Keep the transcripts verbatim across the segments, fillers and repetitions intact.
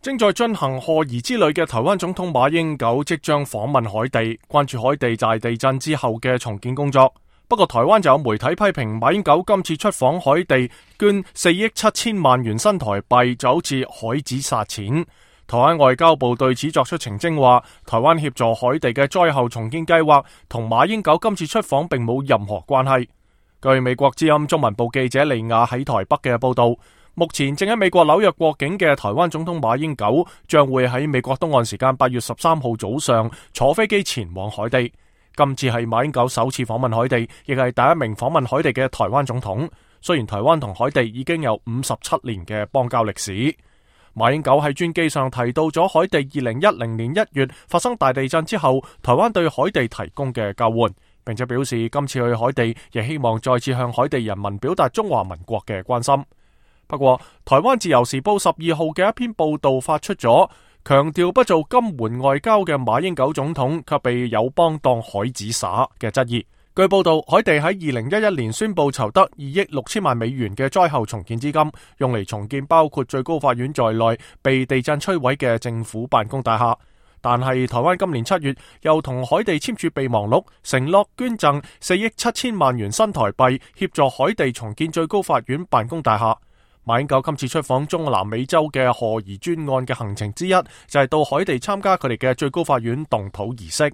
正在進行賀儀之旅嘅台灣總統馬英九即將訪問海地，關注海地大地震之後嘅重建工作。不過台灣就有媒體批評馬英九今次出訪海地捐四億七千萬元新台幣，就好似海子撒錢。台灣外交部對此作出澄清，話台灣協助海地嘅災後重建計劃同馬英九今次出訪並冇任何關係。據美國之音中文部記者利亞喺台北嘅報道，目前正喺美國紐約過境嘅台灣總統馬英九將會喺美國東岸時間八月十三號早上坐飛機前往海地。今次係馬英九首次訪問海地，亦係第一名訪問海地嘅台灣總統。雖然台灣同海地已經有五十七年嘅邦交歷史。馬英九喺專機上提到咗海地二零一零年一月發生大地震之後，台灣對海地提供嘅救援，並且表示今次去海地亦希望再次向海地人民表達中華民國嘅關心。不過，台灣自由時報十二號嘅一篇報道發出咗強調不做金援外交嘅馬英九總統，卻被友邦當海子撒嘅質疑。據報道，海地喺二零一一年宣布籌得二億六千萬美元嘅災後重建資金，用嚟重建包括最高法院在內被地震摧毀嘅政府辦公大廈。但係台灣今年七月又同海地簽署備忘錄，承諾捐贈四億七千萬元新台幣，協助海地重建最高法院辦公大廈。馬英九今次出訪中南美洲嘅賀儀專案嘅行程之一，就係到海地參加佢哋嘅最高法院動土儀式。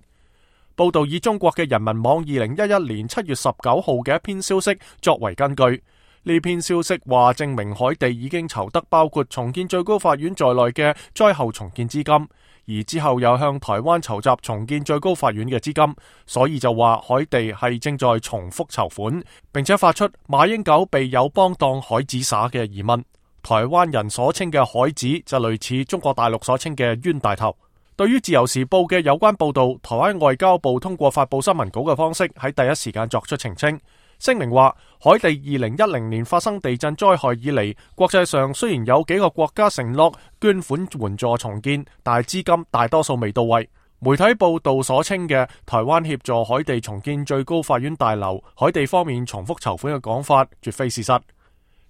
報道以中國嘅人民網二零一一年七月十九號嘅一篇消息作為根據，呢篇消息話證明海地已經籌得包括重建最高法院在內嘅災後重建資金，而之後又向台灣籌集重建最高法院嘅資金，所以就話海地係正在重複籌款，並且發出馬英九被友邦當海子撒嘅疑問。台灣人所稱嘅海子就類似中國大陸所稱嘅冤大頭。對於自由時報嘅有關報道，台灣外交部通過發佈新聞稿嘅方式喺第一時間作出澄清，聲明話海地二零一零年發生地震災害以嚟，國際上雖然有幾個國家承諾捐款援助重建，但係資金大多數未到位。媒體報道所稱嘅台灣協助海地重建最高法院大樓，海地方面重複籌款嘅講法，絕非事實。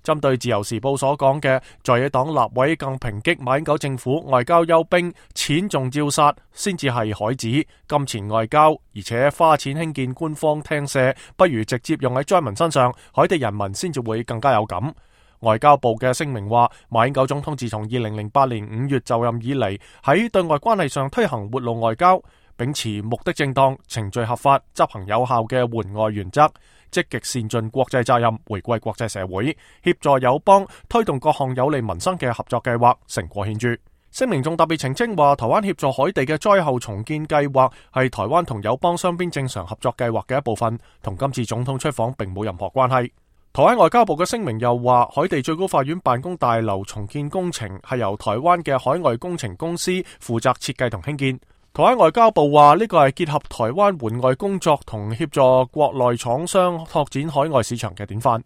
針對自由時報所講嘅在野黨立委更抨擊馬英九政府外交休兵，錢仲照殺，先至係海子金錢外交，而且花錢興建官方廳舍，不如直接用喺災民身上，海地人民先至會更加有感。外交部嘅聲明話，馬英九總統自從二零零八年五月就任以嚟，喺對外關係上推行活路外交，秉持目的正當、程序合法、執行有效嘅援外原則，積極善盡國際責任，回歸國際社會，協助友邦推動各項有利民生嘅合作計劃，成果顯著。聲明仲特別澄清話，台灣協助海地嘅災後重建計劃係台灣同友邦雙邊正常合作計劃嘅一部分，同今次總統出訪並冇任何關係。台灣外交部嘅聲明又話，海地最高法院辦公大樓重建工程係由台灣嘅海外工程公司負責設計同興建。台灣外交部話呢個係結合台灣援外工作同協助國內廠商拓展海外市場嘅典範。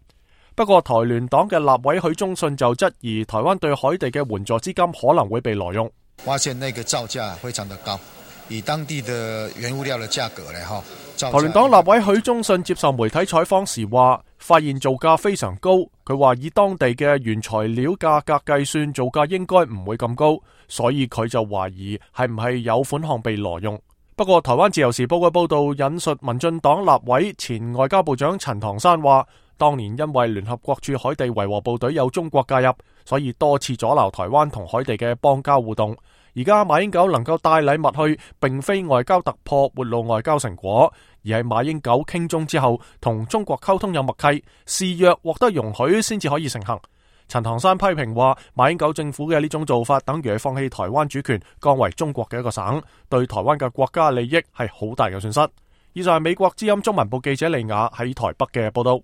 不過台聯黨嘅立委許忠信就質疑台灣對海地嘅援助資金可能會被挪用。發現那個造價非常的高，以當地的原物料的價格嚟哈。台聯黨立委許忠信接受媒體採訪時話，發現造價非常高。佢話以當地嘅原材料價格計算，造價應該唔會咁高，所以佢就懷疑係唔係有款項被挪用。不過台灣自由時報嘅報道引述民進黨立委前外交部長陳唐山話，當年因為聯合國駐海地維和部隊有中國介入，所以多次阻撓台灣同海地嘅邦交互動。而家馬英九能夠帶禮物去，並非外交突破、活路外交成果，而係馬英九傾中之後同中國溝通有默契，示弱獲得容許先至可以成行。陳唐山批評話，馬英九政府嘅呢種做法等於係放棄台灣主權，降為中國嘅一個省，對台灣嘅國家利益係好大嘅損失。以上係美國之音中文部記者利亞喺台北嘅報道。